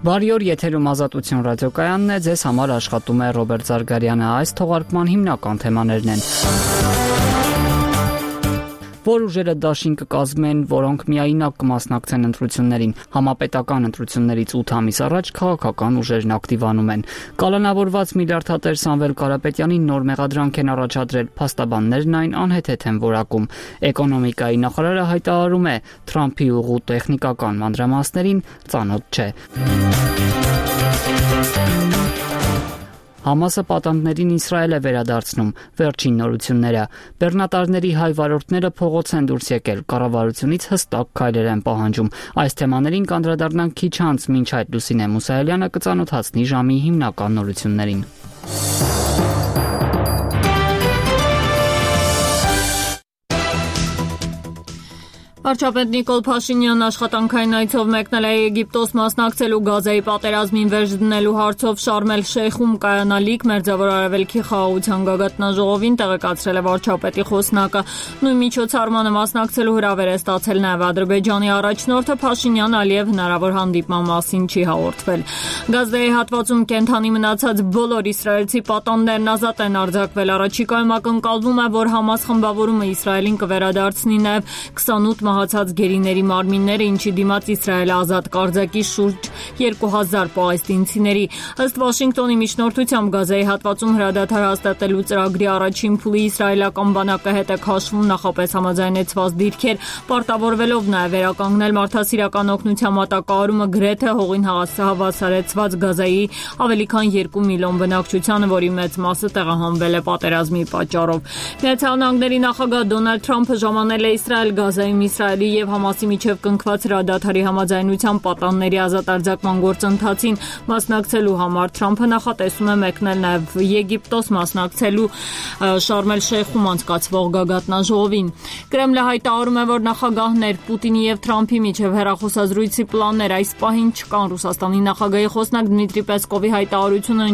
Բարի օր, եթերում Ազատություն ռադիոկայանն է, ձեզ համար աշխատում է Ռոբերտ Զարգարյանը, այս թողարկման հիմնական թեմաներն են. Որ ուժերը դաշին կկազմեն, որոնք միայնակ կմասնակցեն ընտրություններին, համապետական ընտրություններից 8 ամիս առաջ քաղաքական ուժերն ակտիվանում են. Կալանավորված միլիարդատեր Սամվել Կարապետյանի նոր մեղադրանք են առաջադրել, փաստաբաններն այն անհեթեթ են որակում. Էկոնոմիկայի նախարարը հայտարարում է, Թրամփի ուղու տեխնիկական մանրամասներին ծանոթ չէ. Համասը պատանդներին Իսրայել է վերադարձնում, վերջին նորությունները. բեռնատարների հայ վարորդները փողոց են դուրս եկել, կառավարությունից հստակ քայլեր են պահանջում. Այս թեմաներին կանդրադառնանք քիչ անց, մինչ այդ Լուսինե Մուսայելյանը կծանոթացնի ժամի հիմնական նորություններին. Վարչապետ Նիկոլ Փաշինյանն աշխատանքային այցով մեկնել է Եգիպտոս մասնակցելու Գազայի պատերազմին վերջ դնելու հարցով Շարմ էլ-Շեյխում կայանալիք Մերձավոր Արևելքի խաղաղության գագաթնաժողովին տեղեկացրել է վարչապետի խոսնակը. Նույն միջոցառմանը մասնակցելու հրավեր է ստացել նաև Ադրբեջանի առաջնորդը. Փաշինյան Ալիև հնարավոր հանդիպման մասին չի հաղորդվել. Գազայի հատվածում կենթանի մնացած բոլոր իսրայելցի պատանդներն ազատ են արձակվել. Առաջիկայում ակնկալվում է, որ Համաս խմբավորումը Իսրայելին կվերադարձնի նաև 28 մահացած գերիների մարմինները, ինչի դիմաց Իսրայելը ազատ կարձակի շուրջ 2000 պաղեստինցիների. Ըստ Վաշինգտոնի միջնորդությամբ Գազայի հատվածում հրադադար հաստատելու ծրագրի առաջին փուլի իսրայելական բանակը հետ է քաշվում նախապես համաձայնեցված դիրքեր, պարտավորվելով նաև վերականգնել մարդասիրական օգնության մատակարարումը գրեթե հողին հավասարեցված Գազայի ավելի քան 2 միլիոն բնակչությանը, որի մեծ մասը տեղահանվել է պատերազմի պատճառով. Միացյալ Նահանգների նախագահ Դոնալդ Թրամփը ժամանել է Իսրայել Գազայում Իսրայելի եւ Համասի միջև կնքված հրադադարի համաձայնության պատանների ազատ արձակման գործընթացին մասնակցելու համար. Թրամփը նախատեսում է մեկնել նաև Եգիպտոս մասնակցելու Շարմ էլ-Շեյխում անցկացվող գագաթնաժողովին. Կրեմլը հայտարարում է, որ նախագահներ Պուտինի եւ Թրամփի միջև հեռախոսազրույցի պլաններ այս պահին չկան. Ռուսաստանի նախագահի խոսնակ Դմիտրի Պեսկովի հայտարարությունը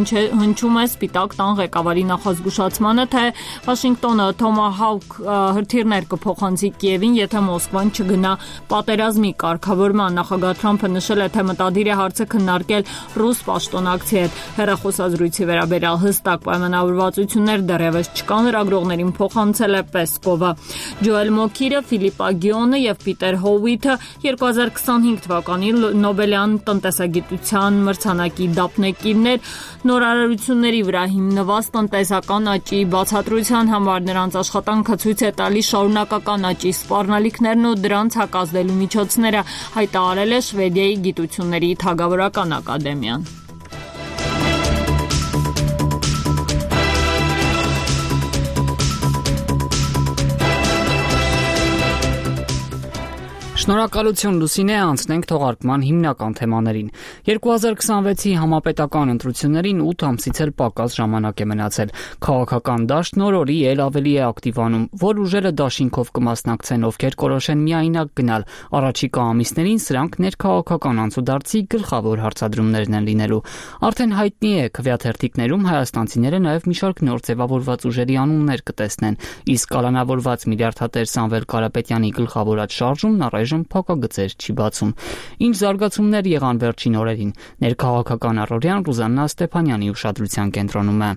հնչում է Սպիտակ տան ղեկավարի նախազգուշացմանը, թե Վաշինգտոնը Թոմահավք հրթիռներ կփոխանցի Կիևին, եթե Մոսկվան չգնա պատերազմի կարգավորման. Նախագահ Թրամփը նշել է, թե մտադիր է հարցը քննարկել ռուս պաշտոնակցի հետ. Հեռախոսազրույցի վերաբերյալ հստակ պայմանավորվածություններ դեռևս չկան, լրագրողներին փոխանցել է Պեսկովը. Ջոել Մոքիրը, Ֆիլիպ Ագիոնը եւ Պիտեր Հովիթը 2025 թվականի Նոբելյան տնտեսագիտության մրցանակի դափնեկիրներ, նորարարությունների վրա հիմնված տնտեսական աճի բացատրության համար նրանց աշխատանքը ցույց է տալիս շարունակական աճի սպառնալիքներն ու դրանց հակազդելու միջոցները, հայտարարել է Շվեդիայի գիտությունների թագավորական ակադեմիան. Շնորհակալություն Լուսինե, անցնենք թողարկման հիմնական թեմաներին. 2026-ի համապետական ընտրություններին 8 ամսից էլ պակաս ժամանակ է մնացել. Քաղաքական դաշտն օր-օրի էլ ավելի է ակտիվանում, որ ուժերը դաշինքով կմասնակցեն, ովքեր կորոշեն միայնակ գնալ. Առաջիկա ամիսներին սրանք ներքաղաքական անցուդարձի գլխավոր հարցադրումներն են լինելու. Արդեն հայտնի է, քվեաթերթիկներում հայաստանցիները նաև մի շարք նոր ձևավորված ուժերի անուններ կտեսնեն, իսկ կալանավորված միլիարդատեր Սամվել Կարապետյանի գլխավորած շարժումն առայժմ փակագծեր չի բացում. Ինչ զարգացումներ եղան վերջին օրերին, ներքաղաքական առօրյան Ռուզաննա Ստեփանյանի ուշադրության կենտրոնում է.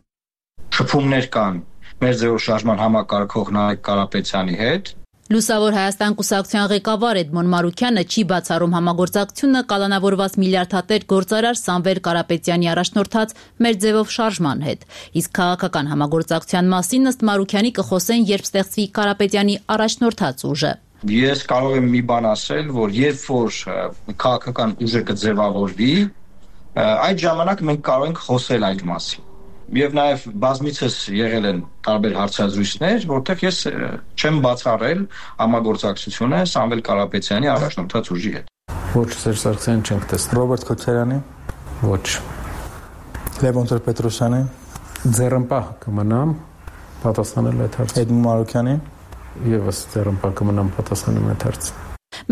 Շփումներ կան մեր ձեւով շարժման համակարգող Նարեկ Կարապետյանի հետ. Լուսավոր Հայաստան կուսակցության ղեկավար Էդմոն Մարուքյանը չի բացառում համագործակցությունը կալանավորված միլիարդատեր գործարար Սամվել Կարապետյանի առաջնորդած մեր ձևով շարժման հետ. Իսկ քաղաքական համագործակցության մասին ըստ Մարուքյանի կխոսեն, երբ ստեղծվի Կարապետյանի առաջնորդած ուժը. Ես կարող եմ մի բան ասել, որ երբ որ քաղաքական ուժը կձևավորվի, այդ ժամանակ մենք կարող ենք խոսել այդ մասին. Եվ նաև բազմիցս եղել են տարբեր հարցազրույցներ, որտեղ ես չեմ բացառել համագործակցությունը Սամվել Կարապետյանի առաջնորդած ուժի հետ. Ոչ, Սերժ Սարգսյանին չենք տեսնում. Ռոբերտ Քոչարյանի? Ոչ. Լևոն Տեր-Պետրոսյանի? Ձեռնպահ կմնամ պատասխանել այդ հարցին. Էդմոն Մարուքյանի? Եվս ձեռնպահ կմնամ պատասխանել այդ հարցին.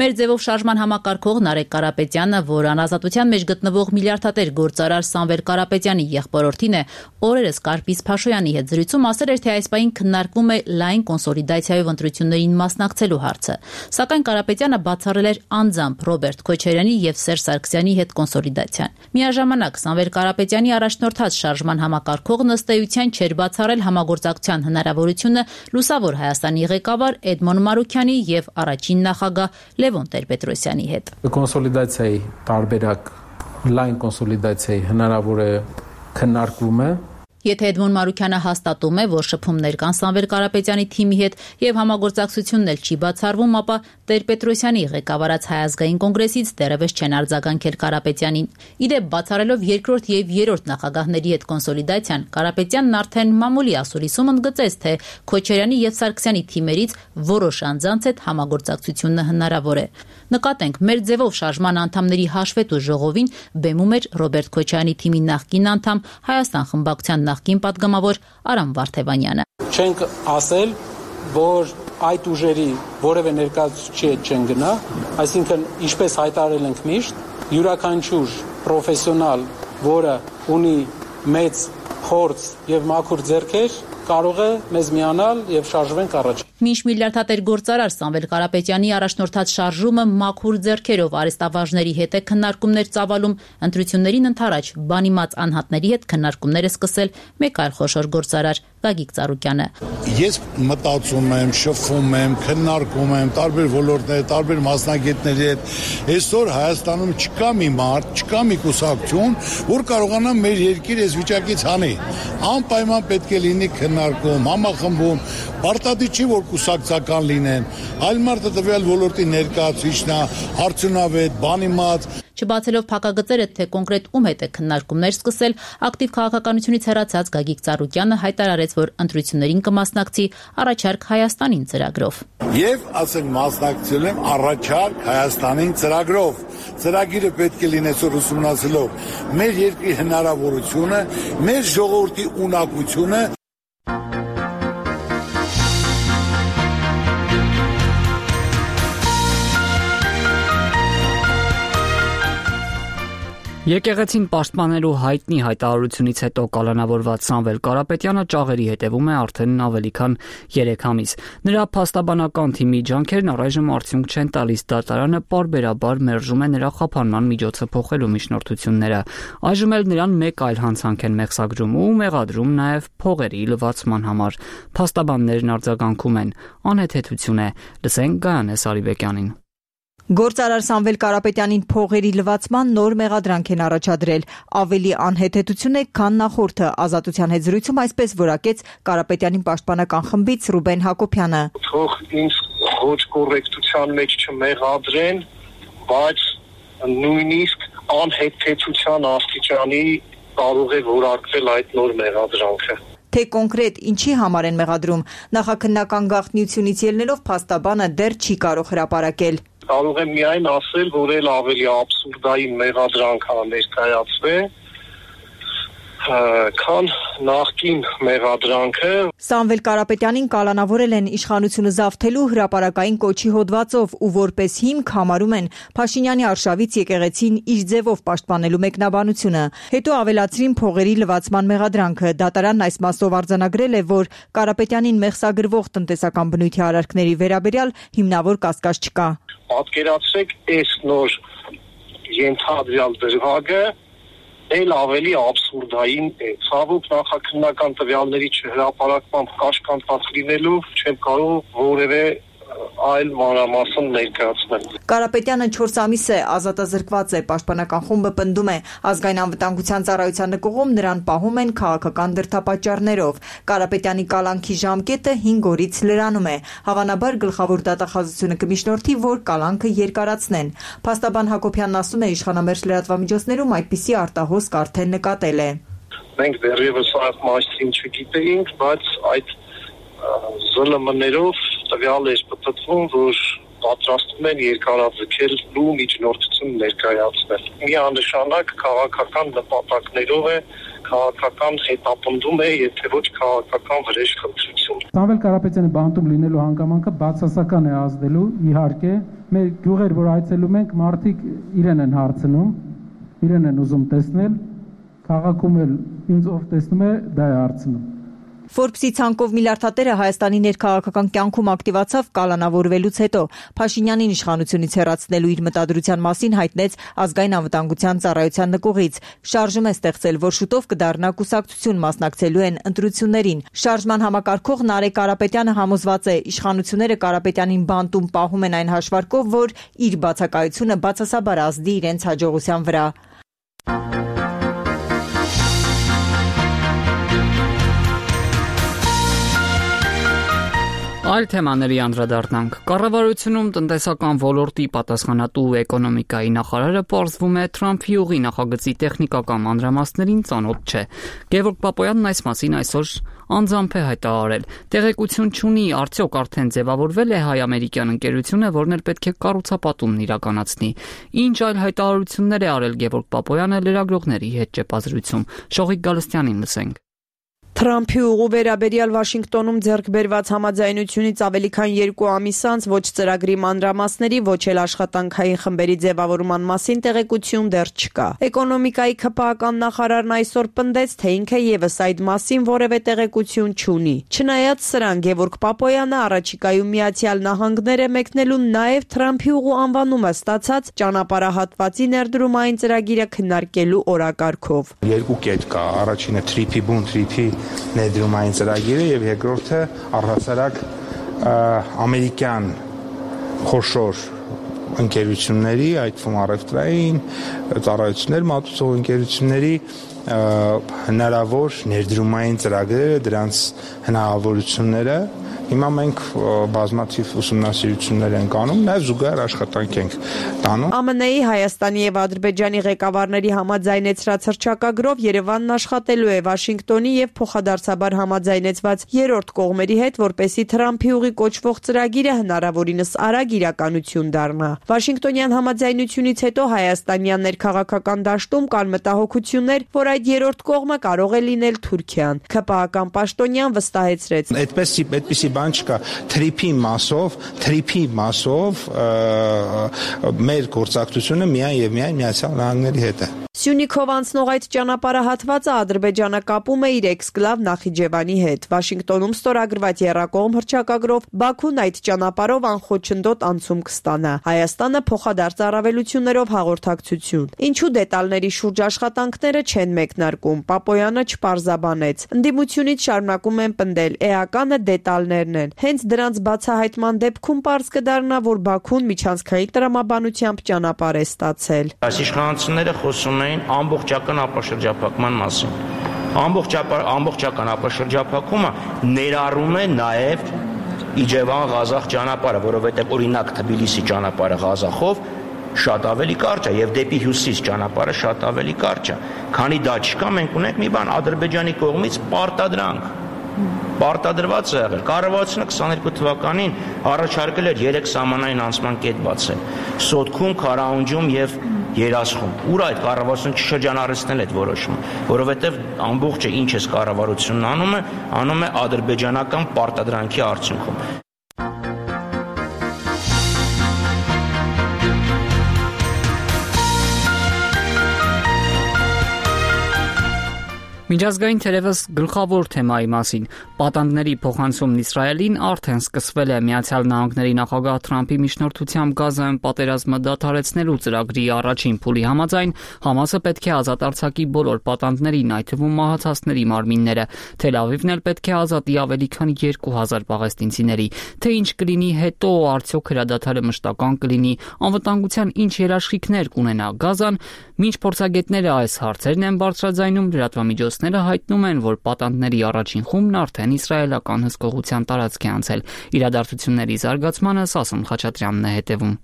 Մեր ձևով շարժման համակարգող Նարեկ Կարապետյանը, որ անազատության մեջ գտնվող միլիարդատեր գործարար Սամվել Կարապետյանի եղբորորդին է, օրերս Կարպիս Փաշոյանի հետ զրույցում ասել էր, թե այս պահին քննարկվում է լայն կոնսոլիդացիայով ընտրություններին մասնակցելու հարցը։ Սակայն Կարապետյանը բացառել էր անձամբ Ռոբերտ Քոչարյանի եւ Սերժ Սարգսյանի հետ կոնսոլիդացիան։ Միաժամանակ Սամվել Կարապետյանի առաջնորդած շարժման համակարգողն ըստ էության չէր բացառել համագործակցության հնարավորությունը Լուսավոր Հայաստանի ղեկավար Էդմոն Մարուքյանի եւ առաջին նախագահ Լևոն Տեր-Պետրոսյանի հետ։ Կոնսոլիդացիայի տարբերակ լայն կոնսոլիդացիայի հնարավոր է քննարկվում է։ Եթե Էդմոն Մարուքյանը հաստատում է, որ շփումներ կան Սամվել Կարապետյանի թիմի հետ եւ համագործակցությունն էլ չի բացառվում, ապա Տեր-Պետրոսյանի ղեկավարած Հայ ազգային կոնգրեսից դեռևս չեն արձագանքել Կարապետյանին։ Իդեպ բացառելով երկրորդ եւ երրորդ նախագահների հետ կոնսոլիդացիան, Կարապետյանն արդեն մամուլի ասուլիսում ընդգծեց, թե Քոչարյանի եւ Սարգսյանի թիմերից որոշ անձանց հետ համագործակցությունը հնարավոր է։ Նկատենք, մեր ձևով շարժման անդամների հաշվետու ժողովին բեմում էր Ռոբերտ Քոչարյանի թիմի նախկին անդամ Հայաստան խմբակցության նախկին պատգամավոր Արամ Վարդևանյանը։ Չենք ասել, որ այդ ուժերի որևէ ներկայացուցիչ չեն գնա, այսինքն ինչպես հայտարարել ենք միշտ, յուրաքանչյուր պրոֆեսիոնալ, որը ունի մեծ փորձ եւ մաքուր ձեռքեր, կարող է մեզ միանալ եւ շարժվենք առաջ։ Մինչ միլիարդատեր գործարար Սամվել Կարապետյանի առաջնորդած շարժումը մաքուր ձեռքերով արեստավարժների հետ է քննարկումներ ծավալում, ընտրություններին ընդառաջ բանիմաց անհատների հետ քննարկումներ է սկսել մեկ այլ խոշոր գործարար Գագիկ Ծառուկյանը։ Ես մտածում եմ, շփվում եմ, քննարկում եմ տարբեր ոլորտներ, տարբեր մասնագետների հետ։ Այսօր Հայաստանում չկա մի մարդ, չկա մի կուսակցություն, որ կարողանա մեր երկիր այս վիճակից հանի։ Անպայման պետք է լինի քննարկում, համախմբում, պարտադիր չի որ կուսակցական լինեն, այլ մարդը տվյալ ոլորտի ներկայացուցիչն է, արդյունավետ, բանիմաց։ Չբացելով փակագծերը, թե կոնկրետ ում հետ է քննարկումներ սկսել, ակտիվ քաղաքականությունից հեռացած Գագիկ Ծառուկյանը հայտարարեց, որ ընտրություններին կմասնակցի առաջարկ Հայաստանին ծրագրով։ Եվ ասենք մասնակցել եմ առաջարկ Հայաստանին ծրագրով։ Ծրագիրը պետք է լինի այսօր ուսումնասիրելով մեր երկրի հնարավորությունը, մեր ժողովրդի ունակությունը։ Եկեղեցին պաշտպանելու հայտնի հայտարարությունից հետո կալանավորված Սամվել Կարապետյանը ճաղերի հետևում է արդեն ավելի քան 3 ամիս։ Նրա փաստաբանական թիմի ջանքերն առայժմ արդյունք չեն տալիս, դատարանը պարբերաբար մերժում է նրա խափանման միջոցը փոխելու միջնորդությունները։ Այժմ էլ նրան մեկ այլ հանցանք են մեղսագրում ու մեղադրում նաև փողերի լվացման համար։ Փաստաբաններն արձագանքում են, անհեթեթություն է։ Լսենք Գայանե Սարիբեկյանին։ Գործարար Սամվել Կարապետյանին փողերի լվացման նոր մեղադրանք են առաջադրել։ Ավելի անհեթեթություն է, քան նախորդը։ Ազատության հետ զրույցում այսպես որակեց Կարապետյանին պաշտպանական խմբից Ռուբեն Հակոբյանը։ Թող ինձ ոչ կոռեկտության մեջ չմեղադրեն, բայց նույնիսկ անհեթեթության աստիճանի կարող է որակվել այդ նոր մեղադրանքը։ Թե կոնկրետ ինչի համար են մեղադրում, նախաքննական գաղտնիությունից ելնելով փաստաբանը դեռ չի կարող հրապարակել։ Կարող եմ միայն ասել, որ էլ ավելի աբսուրդային մեղադրանք է ներկայացվել, քան նախկին մեղադրանքը։ Սամվել Կարապետյանին կալանավորել են իշխանությունը զավթելու հրապարակային կոչի հոդվածով ու որպես հիմք համարում են Փաշինյանի արշավից եկեղեցին իր ձևով պաշտպանելու մեկնաբանությունը։ Հետո ավելացրին փողերի լվացման մեղադրանքը։ Դատարանն այս մասով արձանագրել է, որ Կարապետյանին մեղսագրվող տնտեսական բնույթի արարքների վերաբերյալ հիմնավոր կասկած չկա։ Պատկերացրեք, այս նոր ենթադրյալ դրվագը էլ ավելի աբսուրդային է։ Ցավոք նախաքննական տվյալների չհրապարակմամբ կաշկանդված լինելով չեմ կարող որևէ այլ մանրամասն ներկայացնել։ Կարապետյանը 4 ամիս է ազատազրկված է, պաշտպանական խումբը պնդում է, ազգային անվտանգության ծառայության նկողում նրան պահում են քաղաքական դրդապատճառներով։ Կարապետյանի կալանքի ժամկետը 5 օրից լրանում է։ Հավանաբար գլխավոր դատախազությունը կմիջնորդի, որ կալանքը երկարացնեն։ Փաստաբան Հակոբյանն ասում է, իշխանամերձ լրատվամիջոցներում այդպիսի արտահոսք արդեն նկատել է։ Մենք դեռևս այդ մասին չգիտեինք, բայց այդ ԶԼՄ-ներով տվյալ էր պատտվում, որ պատրաստվում են երկարաձգելու միջնորդություն ներկայացնել։ Միանշանակ քաղաքական նպատակներով է, քաղաքական հետապնդում է, եթե ոչ քաղաքական վրեժխնդրություն։ Սամվել Կարապետյանի բանտում լինելու հանգամանքը բացասական է ազդելու իհարկե մեր գյուղեր, որ այցելում ենք, մարդիկ իրեն են հարցնում, իրեն են ուզում տեսնել, քաղաքում էլ ինձ ով տեսնում է, դա է հարցնում։ Forbes-ի ցանկով միլիարդատերը Հայաստանի ներքաղաքական կյանքում ակտիվացավ կալանավորվելուց հետո Փաշինյանին իշխանությունից հեռացնելու իր մտադրության մասին հայտնեց ազգային անվտանգության ծառայության նկուղից։ Շարժում է ստեղծել, որ շուտով կդառնա կուսակցություն, մասնակցելու են ընտրություններին։ Շարժման համակարգող Նարեկ Կարապետյանը համոզված է, իշխանությունները Կարապետյանին բանտում պահում են այն հաշվարկով, որ իր բացակայությունը բացասաբար ազդի իրենց հաջողության վրա։ Այլ թեմաների անդրադառնանք։ Կառավարությունում տնտեսական ոլորտի պատասխանատու էկոնոմիկայի նախարարը պարզվում է Թրամփի ուղի նախագծի տեխնիկական մանրամասներին ծանոթ չէ։ Գևորգ Պապոյանն այս մասին այսօր անձամբ է հայտարարել։ Տեղեկություն չունի, արդյոք արդեն ձևավորվել է հայ-ամերիկյան ընկերությունը, որն էլ պետք է կառուցապատումն իրականացնի։ Ինչ այլ հայտարարություններ է արել Գևորգ Պապոյանը լրագրողների հետ ճեպազրույցում։ Շողիկ Գալստյանին լսենք։ Թրամփի ուղու վերաբերյալ Վաշինգտոնում ձեռք բերված համաձայնությունից ավելի քան 2 ամիս անց ոչ ծրագրի մանրամասների, ոչ էլ աշխատանքային խմբերի ձևավորման մասին տեղեկություն դեռ չկա։ Էկոնոմիկայի ՔՊԱ-ական նախարարն այսօր պնդեց, թե ինքը եւս այդ մասին որևէ տեղեկություն չունի։ Չնայած սրան, Գևորգ Պապոյանը առաջիկայում Միացյալ Նահանգներ է մեկնելու նաեւ Թրամփի ուղու անվանումը ստացած ճանապարհահատվածի ներդրումային ծրագիրը քննարկելու օրակարգով։ Երկու կետ կա, առաջինը թրիփի ներդրումային ծրագիրը եւ երկրորդը առհասարակ ամերիկյան խոշոր ընկերությունների, այդ թվում առևտրային ծառայություններ, մատուցող ընկերությունների հնարավոր ներդրումային ծրագրերը, դրանց հնարավորությունները հիմա մենք բազմաթիվ ուսումնասիրություններ ենք անում, նաև զուգահեռ աշխատանք ենք տանում։ ԱՄՆ-ի, Հայաստանի եւ Ադրբեջանի ղեկավարների համաձայնեցրած հռչակագրով Երևանն աշխատելու է Վաշինգտոնի եւ փոխադարձաբար համաձայնեցված երրորդ կողմերի հետ, որպեսզի Թրամփի ուղի կոչվող ծրագիրը հնարավորինս արագ իրականություն դառնա։ Վաշինգտոնյան համաձայնությունից հետո հայաստանյան ներքաղաքական դաշտում կան մտահոգություններ, որ այդ երրորդ կողմը կարող է լինել Թուրքիան։ ՔՊԱ-ական պաշտոնյան վստահեցրեց. Այդպիսի բան չկա, թրիփի մասով մեր գործակցությունը միայն եւ միայն Միացյալ Նահանգների հետ է։ Սյունիքով անցնող այդ ճանապարհահատվածը Ադրբեջանը կապում է իր էքսկլավ Նախիջևանի հետ։ Վաշինգտոնում ստորագրված եռակողմ հռչակագրով Բաքուն այդ ճանապարհով անխոչնդոտ անցում կստանա։ Հայաստանը փոխադարձ առավելություններով հաղորդակցություն։ Ինչու դետալների շուրջ աշխատանքները չեն մեկնարկում, Պապոյանը չպարզաբանեց։ Ընդդիմությունից շարունակում են պնդել, էականը դետալներն են։ Հենց դրանց բացահայտման դեպքում պարզ կդառնա, որ Բաքուն միջանցքային տրամաբանությամբ ճանապարհ է ստացել։ Այս իշխանությունները խոսում էին ամբողջական ապաշրջափակման մասին։ Ամբողջական ապաշրջափակումը ներառում է նաև Իջևան-Ղազախ ճանապարհը, որովհետև օրինակ Թբիլիսի ճանապարհը Ղազախով շատ ավելի կարճ է եւ դեպի հյուսիս ճանապարհը շատ ավելի կարճ է։ Քանի դա չկա, մենք ունենք մի բան Ադրբեջանի կողմից պարտադրված է եղել։ Կառավարությունը 22 թվականին առաջարկել էր 3 սահմանային անցման կետ բացել։ Սոտքում, Քարաունջում եւ Երասխում։ Ուր այդ կառավարությունը չշրջանառեցնել այդ որոշումը, որովհետեւ ամբողջը ինչ էս կառավարությունն անում է ադրբեջանական պարտադրանքի արդյունքում։ Միջազգային թերևս գլխավոր թեմայի մասին պատանդների փոխանցումն Իսրայելին արդեն սկսվել է։ Միացյալ Նահանգների նախագահ Թրամփի միջնորդությամբ Գազայում պատերազմը դադարեցնելու ծրագրի առաջին փուլի համաձայն Համասը պետք է ազատ արձակի բոլոր պատանդներին, այդ թվում մահացածների մարմինները։ Թել Ավիվն էլ պետք է ազատի ավելի քան 2000 պաղեստինցիների։ Թե ինչ կլինի հետո, արդյոք հրադադարը մշտական կլինի, անվտանգության ինչ երաշխիքներ կունենա Գազան, մինչ փորձագետները այս հարցերն են բարձրաձայնում, լրատվամիջոցները հայտնում են, որ պատանդների առաջին խումբն արդեն իսրայելական հսկողության տարածք է անցել։ Իրադարձությունների զարգացմանը Սասուն Խաչատրյանն է հետևում։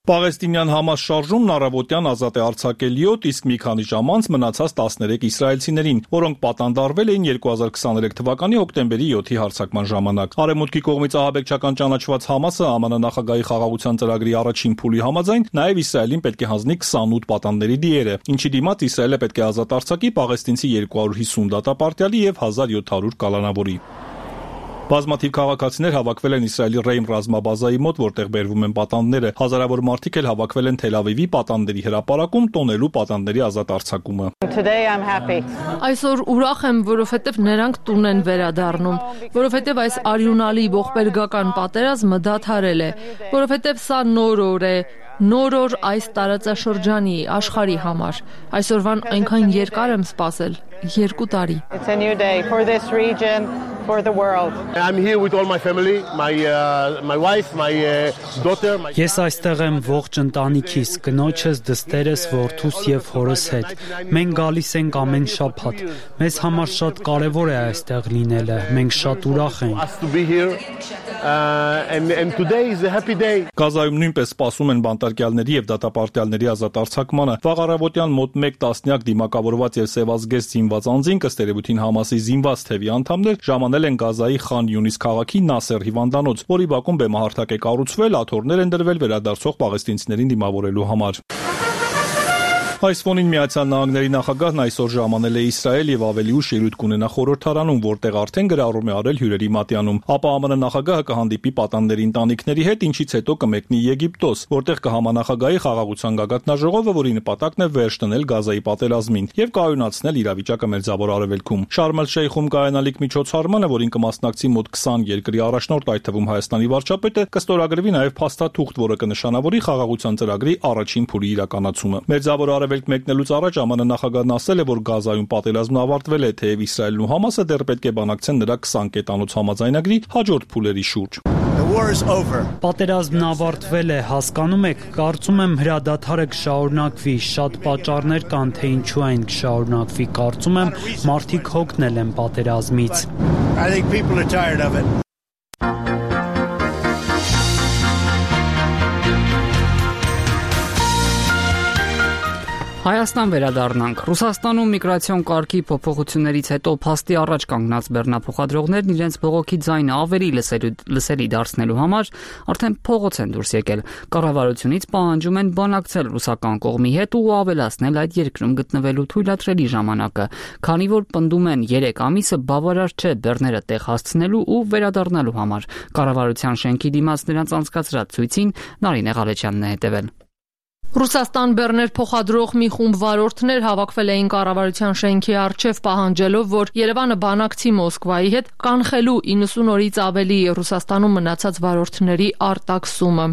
Պաղեստինյան Համաս շարժումն առավոտյան ազատ է արձակել 7, իսկ մի քանի ժամ անց մնացած 13 իսրայելցիներին, որոնք պատանդարվել էին 2023 թվականի հոկտեմբերի 7-ի հարձակման ժամանակ։ Արևմուտքի կողմից ահաբեկչական ճանաչված Համասը ԱՄՆ նախագահի խաղաղության ծրագրի առաջին փուլի համաձայն նաև Իսրայելին պետք է հանձնի 28 պատանդների դիերը, ինչի դիմաց Իսրայելը պետք է ազատ արձակի պաղեստինցի 250 դատապարտյալի եւ 1700 կալանավորի։ Բազմաթիվ քաղաքացիներ հավաքվել են Իսրայելի Ռեյմ ռազմաբազայի մոտ, որտեղ բերվում են պատանդները։ Հազարավոր մարդիկ էլ հավաքվել են Թել Ավիվի պատանդների հրապարակում տոնելու պատանդների ազատ արձակումը։ Այսօր ուրախ եմ, որովհետև նրանք տուն են վերադառնում, որովհետև այս արյունալի ողբերգական պատերազմը դադարել է, որովհետև սա նոր օր է, նոր օր այս տարածաշրջանի աշխարհի համար։ Այսօրվան այնքան երկար եմ սպասել, 2 տարի։ I'm here with all my family, my wife, my daughter. Ես այստեղ եմ ողջ ընտանիքիս, կնոջս, դստերս, որդուս եւ հորս հետ։ Մենք գալիս ենք ամեն շաբաթ։ Մեզ համար շատ կարեւոր է այստեղ լինելը։ Մենք շատ ուրախ ենք։ And today is a happy day. Գազայում նույնպես սպասում են բանտարկյալների եւ դատապարտյալների ազատ արձակմանը։ Վաղ առավոտյան մոտ 1 տասնյակ դիմակավորված եւ սևազգեստ զինված անձինք, ըստ երևույթին Համասի զինված թևի անդամներ, ժամանել են Գազայի Խան Յունիս քաղաքի Նասեր հիվանդանոց, որի բակում բեմահարթակ է կառուցվել, աթոռներ են դրվել վերադարձող պաղեստինցիներին դիմավորելու համար։ Այս ֆոնին Միացյալ Նահանգների նախագահն այսօր ժամանել է Իսրայել եւ ավելի ուշ ելույթ կունենա խորհրդարանում, որտեղ արդեն գրառում է արել հյուրերի մատյանում։ Ապա ԱՄՆ նախագահը կհանդիպի պատանդների ընտանիքների հետ, ինչից հետո կմեկնի Եգիպտոս, որտեղ կհամանախագահի խաղաղության գագաթնաժողովը, որի նպատակն է վերջ դնել Գազայի պատերազմին եւ կայունացնել իրավիճակը Մերձավոր Արևելքում։ Շարմ էլ-Շեյխում կայանալիք միջոցառմանը, որին կմասնակցի մոտ 20 երկրի առաջնորդ, այդ թվում Հայաստանի վարչապետը, կստորագրվի նաեւ փաստաթուղթ, որը կնշանավորի խաղաղության ծրագրի առաջին փուլի իրականացումը։ Մերձավոր Արևելք մեկնելուց առաջ ԱՄՆ նախագահն ասել է, որ Գազայում պատերազմն ավարտվել է, թեև Իսրայելն ու Համասը դեռ պետք է բանակցեն նրա 20 կետանոց համաձայնագրի հաջորդ փուլերի շուրջ։ Պատերազմն ավարտվել է, հասկանում եք, կարծում եմ հրադադարը կշարունակվի, շատ պատճառներ կան, թե ինչու այն կշարունակվի, կարծում եմ մարդիկ հոգնել են պատերազմից։ Հայաստան վերադառնանք։ Ռուսաստանում միգրացիոն կարգի փոփոխություններից հետո փաստի առաջ կանգնած բեռնափոխադրողներն իրենց բողոքի ձայնը ավելի լսելի դարձնելու համար արդեն փողոց են դուրս եկել։ Կառավարությունից պահանջում են բանակցել ռուսական կողմի հետ ու ավելացնել այդ երկրում գտնվելու թույլատրելի ժամանակը, քանի որ պնդում են 3 ամիսը բավարար չէ բեռները տեղ հասցնելու ու վերադառնալու համար։ Կառավարության շենքի դիմաց նրանց անցկացրած ցույցին Նարինե Ղալեչյանն է հետևել։ Ռուսաստան բեռներ փոխադրող մի խումբ վարորդներ հավաքվել էին կառավարության շենքի առջև պահանջելով, որ Երևանը բանակցի Մոսկվայի հետ կանխելու 90 օրից ավելի Ռուսաստանում մնացած վարորդների արտաքսումը։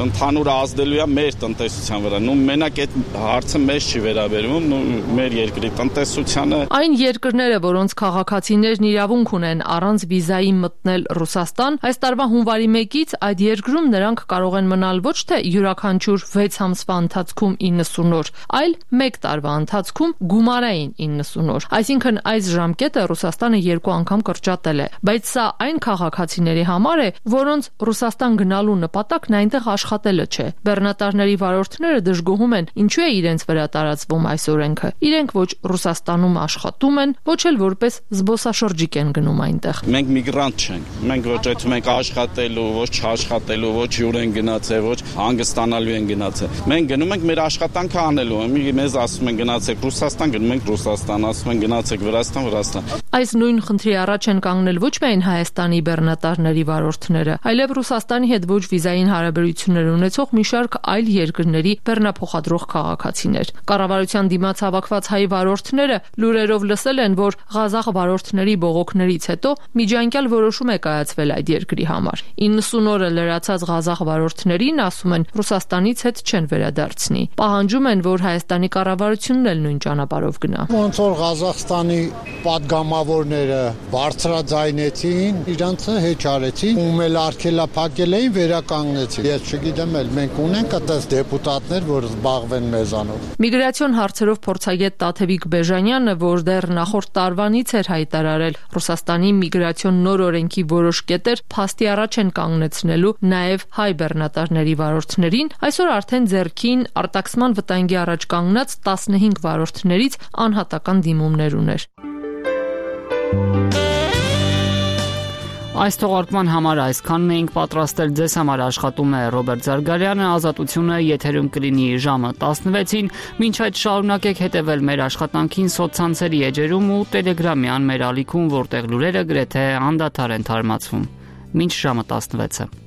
Ընդհանուր ազդելու է մեր տնտեսության վրա։ Մենակ այդ հարցը մեզ չի վերաբերում, մեր երկրի տնտեսությանը։ Այն երկրները, որոնց քաղաքացիներն իրավունք ունեն առանց վիզայի մտնել Ռուսաստան, այս տարվա հունվարի 1-ից այդ երկրում նրանք կարող են մնալ ոչ թե յուրաքանչյուր 6 ամսվա ընթացքում 90 օր, այլ 1 տարվա ընթացքում գումարային 90 օր։ Այսինքն այս ժամկետը Ռուսաստանը 2 անգամ կրճատել է, բայց սա այն քաղաքացիների համար է, որոնց Ռուսաստան գնալու նպատակն այնտեղ աշխատելը չէ։ Բեռնատարների վարորդները դժգոհում են, ինչու է իրենց վրա տարածվում այս օրենքը։ Իրենք ոչ Ռուսաստանում աշխատում են, ոչ էլ որպես զբոսաշրջիկ են գնում այնտեղ։ Մենք միգրանտ չենք։ Մենք ոչ այդում ենք աշխատելու, ոչ չաշխատելու, ոչ յուր են գնացել, ոչ հանգստանալու են գնացել։ Մենք գնում ենք մեր աշխատանքը անելու, մեզ ասում են գնացեք Ռուսաստան, գնում ենք Ռուսաստան, ասում են գնացեք Վրաստան։ Այս նույն խնդրի առաջ են կանգնել ոչ միայն Հայաստանի բեռնատարների վարորդները, այլև Ռուսաստանի հետ ոչ վիզային հարաբերություններ ունեցող մի շարք այլ երկրների բեռնափոխադրող քաղաքացիներ։ Կառավարության դիմաց հավաքված հայ վարորդները լուրերով լսել են, որ Ղազախ վարորդների բողոքներից հետո միջանկյալ որոշում է կայացվել այդ երկրի համար։ 90 օրը լրացած Ղազախ վարորդներին, ասում են, Ռուսաստանից հետ չեն վերադարձնի։ Պահանջում են, որ Հայաստանի կառավարությունն էլ նույն ճանապարհով գնա։ Ոնց որ Ղազախստանի պատգամավորները բարձրաձայնեցին, իրանցը հեչ արեցին, ում էլ արգելափակել էին, վերականգնեցին։ Ես չգիտեմ, մենք ունենք այդպես դեպուտատներ, որ զբաղվեն մեզանով։ Միգրացիոն հարցերով փորձագետ Տաթևիկ Բեժանյանը, որ դեռ նախորդ տարվանից էր հայտարարել Ռուսաստանի միգրացիոն նոր օրենքի որոշ կետեր փաստի առաջ են կանգնեցնելու նաև հայ բեռնատարների վարորդներին, այսօր արդեն ձեռքին արտաքսման վտանգի առաջ կանգնած 15 վարորդներից անհատական դիմումներ ուներ։ Այս թողարկման համար այսքանն էինք պատրաստել, ձեզ համար աշխատում է Ռոբերտ Զարգարյանը, Ազատությունը եթերում կլինի ժամը 16-ին, մինչ այդ շարունակեք հետևել մեր աշխատանքին սոցցանցերի էջերում ու Telegram-յան մեր ալիքում, որտեղ լուրերը գրեթե անդադար են թարմացվում։ Մինչ ժամը 16-ը։